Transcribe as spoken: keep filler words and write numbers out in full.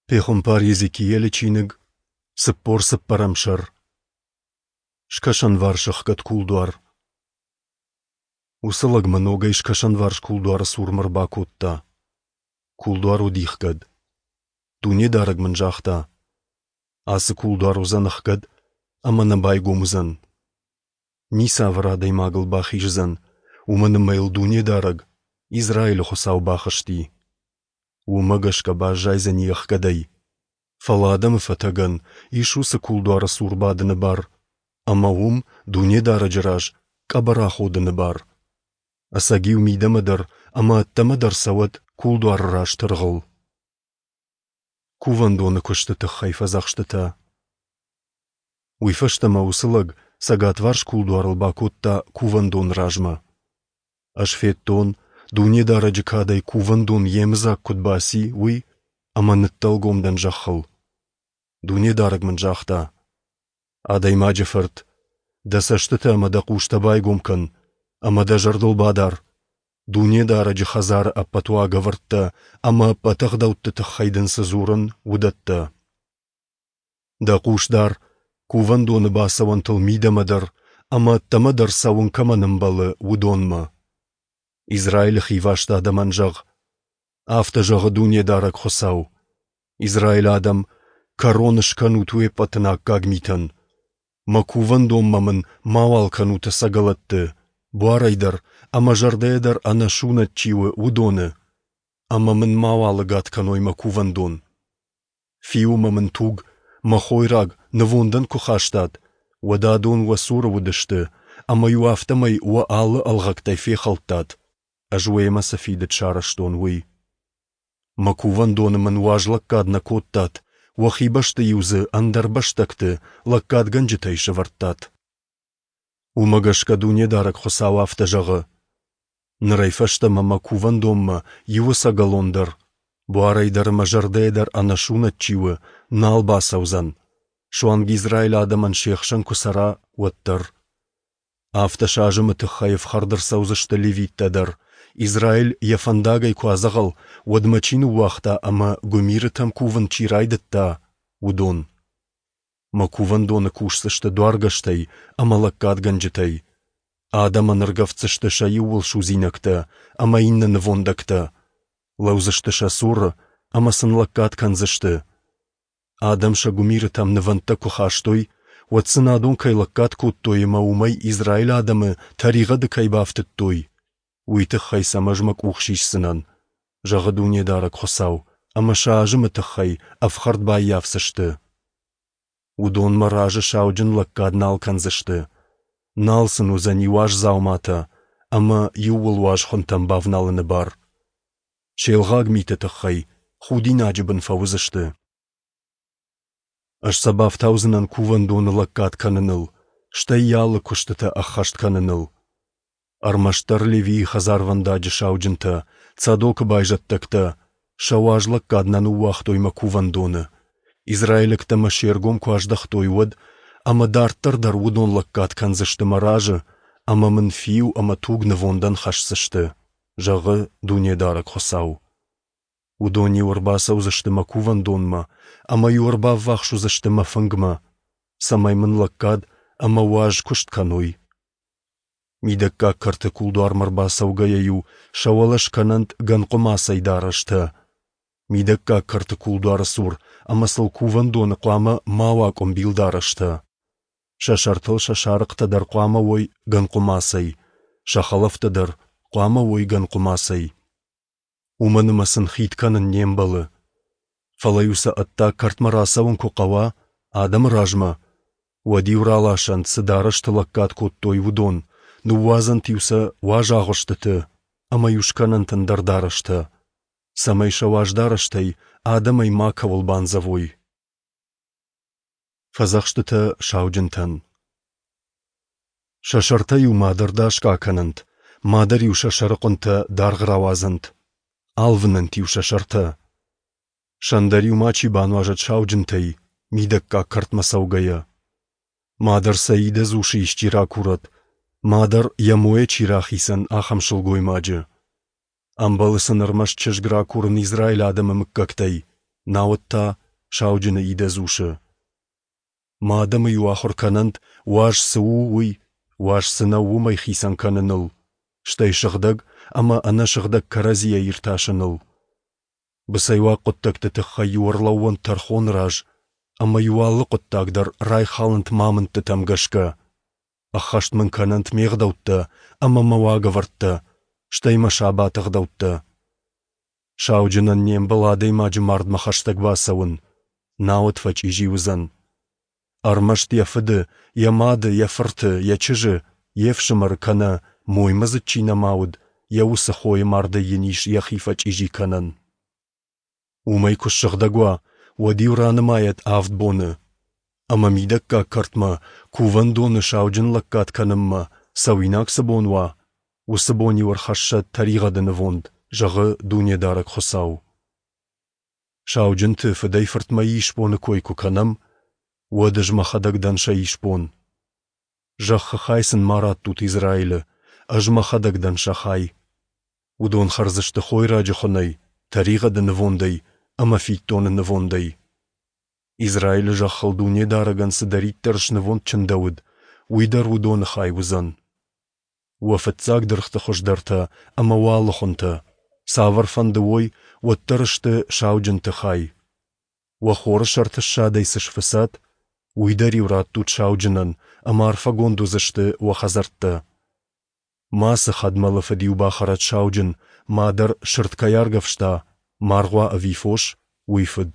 Пехуымпар Йезекиелы чиныг, цыппор цыппӕрӕм сӕр. Скӕсӕнварс ӕхгӕд кулдуар. Уыцы лӕг мӕ ногӕй скӕсӕнварс кулдуары цурмӕ ӕрбакодта. Кулдуар уыди ӕхгӕд. Дунедарӕг мын загъта: Ацы кулдуар уыдзӕн ӕхгӕд ӕмӕ нӕ байгом уыдзӕн. Ницавӕр адӕймаг ыл бахиздзӕн, уымӕн ӕмӕ йыл Дунедарӕг, Израилы Хуыцау, бахызти. Уымӕ гӕсгӕ баззайдзӕни ӕхгӕдӕй. Фӕлӕ адӕмы фӕтӕгӕн ис уыцы кулдуары цур бадыны бар ӕмӕ уым, Дунедарӕджы раз, къӕбӕр аходыны бар. Ӕцӕг-иу мидӕмӕ дӕр ӕмӕ ӕддӕмӕ дӕр цӕуӕд кулдуары раз тыргъыл. Кувӕндоны куысты тыххӕй фӕдзӕхстытӕ. Уый фӕстӕ мӕ уыцы лӕг цӕгатварс кулдуарыл бакодта кувӕндоны размӕ. Ӕз федтон, Дунедарӕджы кадӕй кувӕндон йемыдзаг куыд баци, уый, ӕмӕ ныддӕлгом дӕн зӕххыл. Дунедарӕг мын загъта: Адӕймаджы фырт, дӕ цӕстытӕ ӕмӕ дӕ хъустӕ байгом кӕн, ӕмӕ дӕ зӕрдыл бадар, Дунедарӕджы хӕдзары ӕппӕт уагӕвӕрдтӕ ӕмӕ ӕппӕт ӕгъдӕутты тыххӕй дын цы дзурын, уыдӕттӕ. Дӕ хъус дар, кувӕндоны бацӕуӕнтыл мидӕмӕ дӕр ӕмӕ ӕддӕмӕ дӕр цӕуын кӕмӕн ӕмбӕлы, уыдонмӕ. Израилы хиваст адӕмӕн зӕгъ: Афтӕ зӕгъы Дунедарӕг Хуыцау: Израилы адӕм, кӕрон скӕнут уе ппӕты ӕнаккаг митӕн. Мӕ кувӕндонмӕ мын мауал кӕнут ӕцӕгӕлӕтты, буарӕй дӕр ӕмӕ зӕрдӕйӕ дӕр ӕнӕсунӕт чи у, уыдоны, ӕмӕ мын мауал ӕгад кӕной мӕ кувӕндон. Фиу ӕмӕ мын туг, мӕ хойраг, нывондӕн куы хастат, уӕд адон уӕ цуры уыдысты, ӕмӕ-иу афтӕмӕй уӕ алы ӕлгъӕгтӕй фехӕлдтат, ӕз уемӕ цы фидыд сарӕзтон, уый. Мӕ кувӕндоны мын уаз лӕггад нӕ кодтат, уӕхи бӕсты-иу дзы ӕндӕр бӕстӕгты лӕггадгӕнджытӕй сӕвӕрдтат. Уымӕ гӕсгӕ Дунедарӕг Хуыцау афтӕ зӕгъы: Нырӕй фӕстӕмӕ мӕ кувӕндонмӕ иу ӕцӕгӕлон дӕр, буарӕй дӕр ӕмӕ зӕрдӕйӕ дӕр ӕнӕсунӕт чи у, нал бацӕудзӕн, суанг Израилы адӕмӕн се хсӕн куы цӕра, уӕддӕр. Афтӕ сӕ азымы тыххӕй ӕфхӕрд ӕрцӕудзысты левиттӕ дӕр, Израиль йӕ фӕндагӕй куы адзӕгъӕл, уӕдмӕ чи ныууагъта ӕмӕ гуымирытӕм кувын чи райдыдта, уыдон. Мӕ кувӕндоны кусдзысты дуаргӕстӕй ӕмӕ лӕггадгӕнджытӕй. Адӕмӕн ӕргӕвддзысты сӕ иууылсудзинӕгтӕ ӕмӕ иннӕ нывондӕгтӕ, лӕудзысты сӕ цуры ӕмӕ сын лӕггад кӕндзысты. Адӕм сӕ гуымирытӕм нывӕндтӕ куы хастой, уӕд сын адон кӕй лӕггад кодтой ӕмӕ уымӕй Израилы адӕмы тӕригъӕды кӕй бафтыдтой, уый тыххӕй сӕм ӕз мӕ къух сисдзынӕн, зӕгъы Дунедарӕг Хуыцау, ӕмӕ сӕ азымы тыххӕй ӕфхӕрд баййафдзысты. Уыдон мӕ разы сауджын лӕггад нал кӕндзысты, нал сын уыдзӕни уаз дзауматӕ ӕмӕ иууыл уаз хуынтӕм бавналыны бар. Се лгъаг миты тыххӕй худинаджы бын фӕуыдзысты. Ӕз сӕ бафтаудзынӕн кувӕндоны лӕггад кӕныныл, стӕй йӕ алы куыстытӕ ӕххӕст кӕныныл. Ӕрмӕстдӕр Левийы хӕдзарвӕндаджы сауджынтӕ, Цадокы байзӕддӕгтӕ, сӕ уаз лӕггад нӕ ныууагътой мӕ кувӕндоны, израилӕгтӕ мӕ се ргом куы аздӕхтой, уӕд, ӕмӕ дарддӕр дӕр уыдон лӕггад кӕндзысты мӕ разы ӕмӕ мын фиу ӕмӕ туг нывондӕн хӕсдзысты, зӕгъы Дунедарӕг Хуыцау. Уыдон-иу ӕрбацӕудзысты мӕ кувӕндонмӕ ӕмӕ-иу ӕрбаввахс уыдзысты мӕ фынгмӕ, цӕмӕй мын лӕггад ӕмӕ уаз куыст кӕной. Мидӕггаг кӕрты кулдуармӕ ӕрбацӕугӕйӕ-иу сӕ уӕлӕ скӕнӕнт гӕнхъуымацӕй дарӕстӕ. Мидӕггаг кӕрты кулдуары цур ӕмӕ сыл кувӕндоны хъуамӕ ма уа къуымбил дарӕстӕ. Сӕ сӕртыл сӕ сарыхътӕ дӕр хъуамӕ уой гӕнхъуымацӕй, сӕ хӕлӕфтӕ дӕр хъуамӕ уой гӕнхъуымацӕй. Уымӕн ӕмӕ сын хид кӕнын не мбӕлы. Фӕлӕ-иу сӕ ӕддаг кӕртмӕ рацӕуын куы хъӕуа, адӕмы размӕ, уӕд-иу раласӕнт, цы дарӕсты лӕггад кодтой, уыдон, ныууадзӕнт-иу сӕ уаз агъуыстыты ӕмӕ-иу скӕнӕнт ӕндӕр дарӕстӕ, цӕмӕй сӕ уаз дарӕстӕй адӕмӕй макӕуыл бандзӕвой. Фӕдзӕхстытӕ сауджынтӕн. Сӕ сӕртӕ-иу мадӕр дасгӕ акӕнӕнт, мадӕр-иу сӕ сӕрыхъуынтӕ даргъ рауадзӕнт, алвынӕнт-иу сӕ сӕртӕ. Сӕн дӕр-иу мачи бануазӕд сауджынтӕй, мидӕггаг кӕртмӕ цӕугӕйӕ. Мадӕр сӕ идӕдз усы исчи ракурӕд, мадӕр йӕ мойӕ чи рахицӕн, ахӕм сылгоймаджы. Ӕмбӕлы сын ӕрмӕст чызг ракурын Израилы адӕмы мыггӕгтӕй, науӕд та сауджыны идӕдз усы. Мӕ адӕмы-иу ахуыр кӕнӕнт, уаз цы у, уый, уаз цы нӕу, уымӕй хицӕн кӕныныл, стӕй сыгъдӕг ӕмӕ ӕнӕсыгъдӕг кӕрӕдзийӕ иртасыныл. Быцӕйуаг хъуыддӕгты тыххӕй-иу ӕрлӕууӕнт тӕрхоны раз ӕмӕ-иу алы хъуыддаг дӕр райхалӕнт мӕ амындтытӕм гӕсгӕ. Ӕххӕст мын кӕнӕнт ме гъдӕуттӕ ӕмӕ мӕ уагӕвӕрдтӕ, стӕй мӕ сабаты ӕгъдӕуттӕ. Сауджынӕн не мбӕлы адӕймаджы мардмӕ хӕстӕг бацӕуын, науӕд фӕчъизи уыдзӕн. Ӕрмӕст йӕ фыды, йӕ мады, йӕ фырты, йӕ чызджы, йе фсымӕры кӕнӕ, моймӕдзыд чи нӕма уыд, йӕ уыцы хойы мардӕй йын ис йӕхи фӕчъизи кӕнӕн. Уымӕй куы ссыгъдӕг уа, уӕд-иу ранымайӕд авд боны. Ӕмӕ мидӕггаг кӕртмӕ, кувӕндоны сауджын лӕггад кӕнынмӕ, цӕуинаг цы бон уа, уыцы бон-иу ӕрхӕссӕд тӕригъӕды нывонд, зӕгъы Дунедарӕг Хуыцау. Сауджынты фыдӕй-фыртмӕ исбоны кой куы кӕнӕм, уӕд ӕз мӕхӕдӕг дӕн сӕ исбон. Зӕххы хай сын ма раттут Израилы, ӕз мӕхӕдӕг дӕн сӕ хай. Уыдон хӕрдзысты хойраджы хуынӕй, тӕригъӕды нывондӕй ӕмӕ фиддоны нывондӕй. Израилы зӕххыл Дунедарӕгӕн цыдӕриддӕр снывонд чындӕуыд, уый дӕр уыдоны хай уыдзӕн. Уӕ фыццаг дыргъты хуыздӕртӕ ӕмӕ уӕ алы хуынтӕ, цавӕрфӕнды уой, уӕддӕр сты сауджынты хай. Уӕ хоры сӕрты ссадӕй цы сфыцат, уый дӕр-иу раттут сауджынӕн, ӕмӕ арфӕгонд уыдзысты уӕ хӕдзӕрттӕ. Мацы хӕдмӕлы фыд-иу бахӕрӕд сауджын, мадӕр сырд кӕй аргӕвста, маргъ уа ӕви фос, уый фыд.